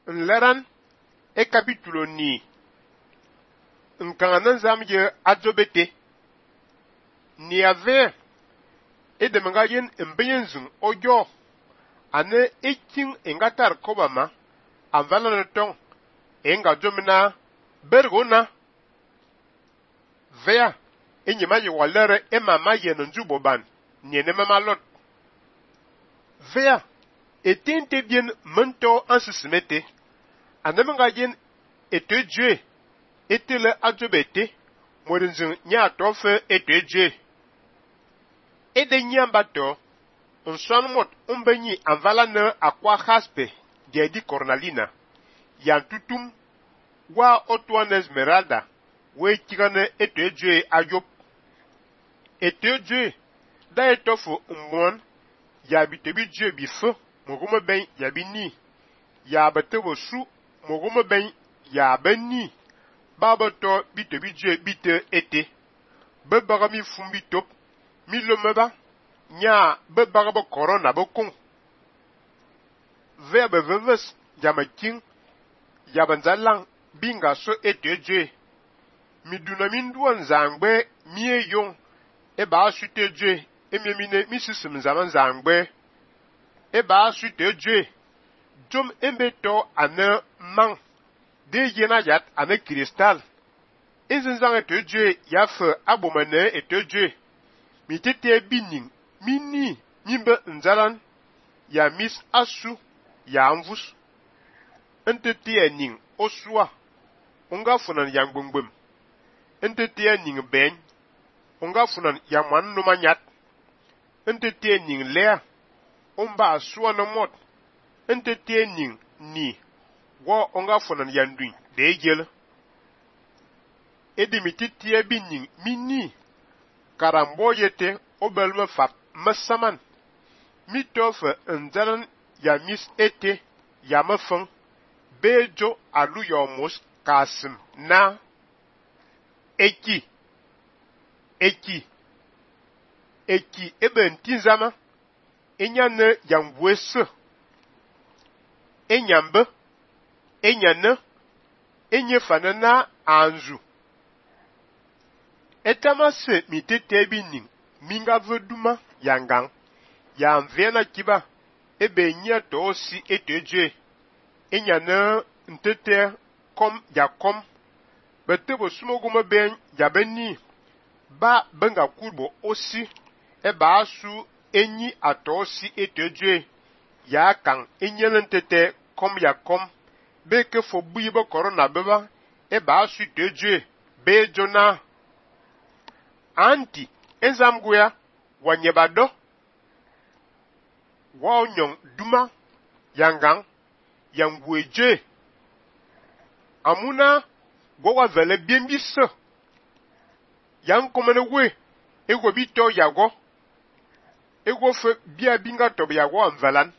nleran e capítulo ni nkanga nzam ye adzobete ni ave e de menga yen mbenyenzun ojo ane eking engatar kobama anvala no tong enga jomina bergona vea enyema ye walere e mama ye njuboban ni ene mama lot vea etente bien mento ansisimete anemenga yen etejue etele adjobete morinzin nya tofe etejue ede nyambato nswan mot umbenyi anvala ne akwa haspe di cornalina yantutum wa otuan esmeralda we kigane etejue ayop etejue da etofu mmon ya bitebijue bifo mogumo ben ya bini ya betebo su mogumo ben ya beni babato bitebijue bite ete bebagami fumbi top milomeba nya bebagabo corona bokong verbe veves jamaking yabanzalang binga so etejue miduna minduan zangbe mie yong eba sutejue ememine misisim zaman zangbe eba sutejue jom embeto ane mang de yena yat ane kristal ezinzang etejue yafe abomane etejue mitete bining mini mimbe nzalan ya mis asu ya amvus entete ening osua onga funan yang bungbum entete ening ben onga funan ya man no manyat entete ening lea omba asua no mot entete ening ni wo onga funan yandui de gel edimitete bining mini karambo yete obelme fap masaman mitofe nzalan ya mis ete ya mafang bejo alu yomos kasim na eki ebe ntinzama enyane yangwese enyambe enyane enyefana na anzu etamase mitete bining minga veduma yangang ya mvena kiba ebe nya tosi etejue enyane ntete kom ya kom betebo sumoguma ben ya beni ba benga kurbo osi eba asu enyi atosi etejue ya kang enyele ntete kom ya kom beke fo buyibo corona beba eba asu etejue be jona anti ezamguya wanyebado wa onyong duma yangang yangweje amuna gwa vele biembise yang komene we ego bito yago ego fe bia binga to yago amvalan